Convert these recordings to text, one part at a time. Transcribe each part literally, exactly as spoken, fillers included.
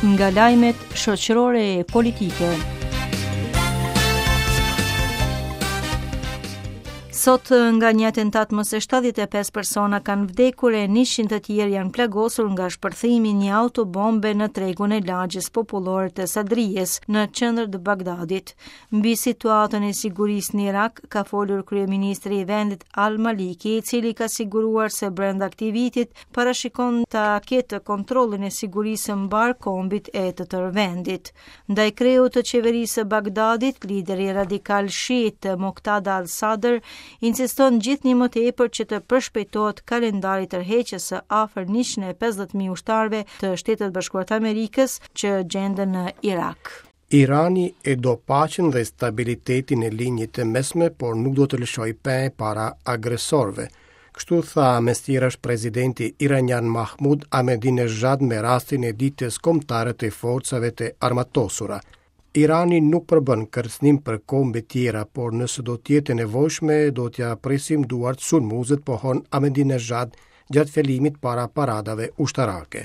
Nga lajmet shoqërore e politike. Sot nga një atentat më se shtatëdhjetë e pesë persona kanë vdekur e njëqind të tjerë janë plagosur nga shpërthimi i një autobombe në tregun e lagjes popullore të Sadrijes në qendër të Bagdadit. Mbi situatën e sigurisë në Irak ka folur kryeministri i vendit Al Maliki, i cili ka siguruar se brenda këtij vitit parashikon ta ketë kontrollin e sigurisë së mbar kombit e të tërë vendit. Ndaj kreut të qeverisë së Bagdadit, lideri radikal shiit Muqtada al-Sadr insiston gjithnjë më tepër që të përshpejtohet kalendari i tërheqjes së afër njëqind e pesëdhjetë mijë ushtarëve të Shteteve të Bashkuara të Amerikës që gjenden në Irak. Irani e do paqen dhe stabilitetin e linjës të mesme, por nuk do të lëshojë pe para agresorëve. Kështu tha mes tjerash presidenti iranian Mahmoud Ahmadinejad me rastin e ditës kombëtare të forcave të armatosura. Irani nuk përbën kërcënim për kombe tjera, por nëse do të jetë e nevojshme, do t'ja presim duart sulmuesit, pohon Ahmadinejad gjatë fjalimit para paradave ushtarake.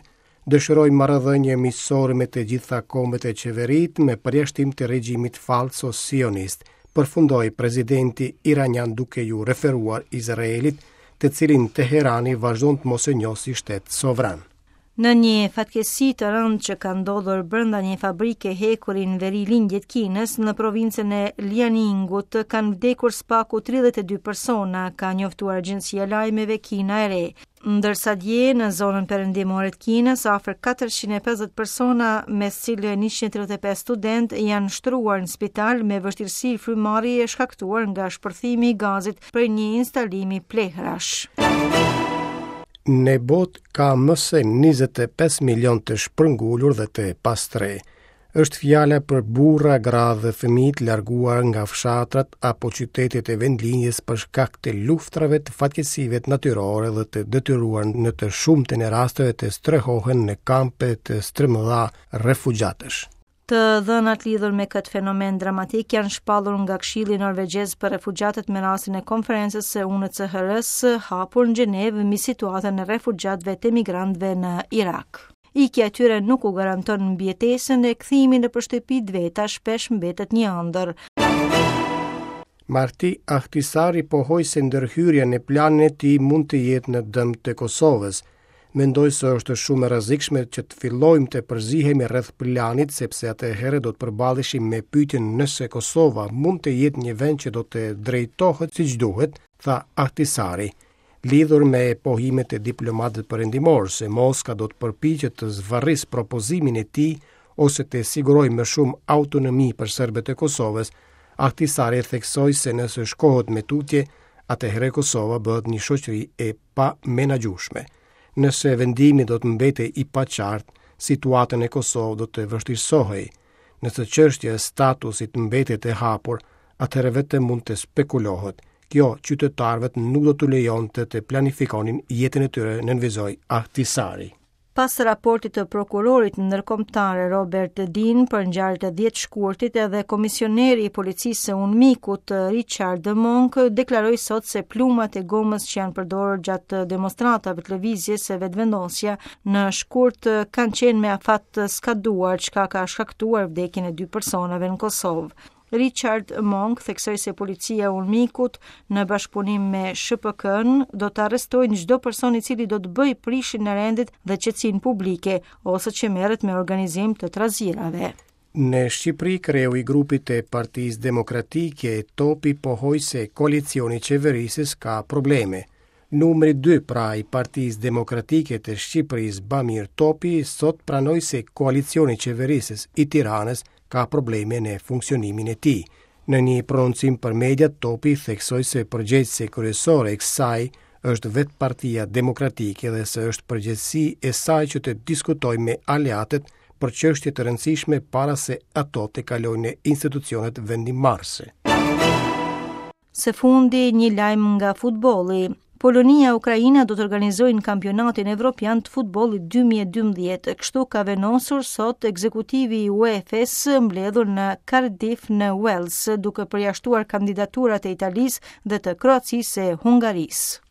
Dëshiroj marrëdhënie miqësore me të gjitha kombet e qeverit, me përjashtim të regjimit falso sionist, përfundoi presidenti iranian duke ju referuar Izraelit, të cilin Teherani vazhdon të mos e njohë si shtet sovran. Në një fatkeqësi të rëndë që ka ndodhur brenda një fabrike hekuri në veri lindje të Kinës, në provincën e Liaoningut, kanë vdekur së paku tridhjetë e dy persona, ka njoftuar agjencia e lajmeve Kina e Re. Ndërsa dje në zonën perëndimore të Kinës, afër katërqind e pesëdhjetë persona, mes cilëve njëqind e tridhjetë e pesë student, janë shtruar në spital me vështirësi frymëmarrje shkaktuar nga shpërthimi i gazit prej një instalimi plehrash. Në botë ka më se njëzet e pesë milion të shpërngulur dhe të pastre. Është fjala për burra, gra dhe fëmijë të larguar nga fshatrat apo qytetet e vendlinjes për shkak të luftrave, të fatkeqësive natyrore dhe të detyruar në të shumtën e rasteve të strehohen në kampe të stërmëdha refugjatësh. Të dhënat lidhur me këtë fenomen dramatik janë shpallur nga Këshilli Norvegjez për Refugjatët me rastin e konferencës së U N H C R-s hapur në Gjenevë mbi situatën e refugjatëve të emigrantëve në Irak. Ikja e tyre nuk u garanton mbijetesën e kthimi nëpër shtëpitë veta shpesh mbetet një ëndër. Marti Ahtisaari pohoi se ndërhyrja në planin e tij mund të jetë në dëm të Kosovës. Mendoj se është shumë e rrezikshme që të fillojmë të përzihemi rreth planit, sepse atëherë do të përballeshim me pyetjen nëse Kosova mund të jetë një vend që do të drejtohet siç duhet, tha Ahtisaari. Lidhur me pohimet e diplomatëve perëndimor se Moska do të përpiqet të zvarrisë propozimin e tij ose të sigurojë më shumë autonomi për serbët e Kosovës, Ahtisaari theksoi se nëse shkohet me tutje, atëherë Kosova bëhet një shoqëri e pamenaxhueshme. Nëse vendimi do të mbetej i paqartë, situata në Kosovë do të vështirësohej. Nëse çështja e statusit mbetet e hapur, atëherë vetëm mund të spekulohet. Kjo qytetarëve nuk do t'u lejonte të planifikonin jetën e tyre, nënvizoi Ahtisaari. Pas raportit të prokurorit ndërkombëtar Robert Dean për ngjarjet e dhjetë shkurtit, edhe komisioneri i policisë së UNMIK-ut Richard Monk deklaroi sot se plumat e gomës që janë përdorur gjatë demonstratave të lëvizjes së vetëvendosja në shkurt kanë qenë me afat të skaduar, çka ka shkaktuar vdekjen e dy personave në Kosovë. Richard Monk theksoi se policia e UNMIK-ut në bashkëpunim me S H P K-n do të arrestojnë çdo person i cili do të bëjë prishjen e rendit dhe qetësinë publike ose që merret me organizim të trazirave. Në Shqipëri, kreu i grupit të Partisë Demokratike, Topi, pohoi se koalicioni qeverisës ka probleme. Numri dy pra i Partisë Demokratike të Shqipërisë, Bamir Topi, sot pranoi se koalicioni qeverisës i Tiranës ka probleme në funksionimin e tij. Në një prononcim për mediat, Topi theksoi se përgjegjësi kryesore e kësaj është vetë Partia Demokratike dhe se është përgjegjësi e saj që të diskutojë me aleatët për çështje të rëndësishme para se ato të kalojnë në institucionet vendimmarrëse. Së fundi, një lajm nga futbolli. Polonia e Ukraina do të organizojnë kampionatin evropian të futbollit dy mijë e dymbëdhjetë. Kështu ka vendosur sot ekzekutivi i UEFA-s mbledhur në Cardiff në Wales, duke përjashtuar kandidaturat e Italisë dhe të Kroacisë e Hungarisë.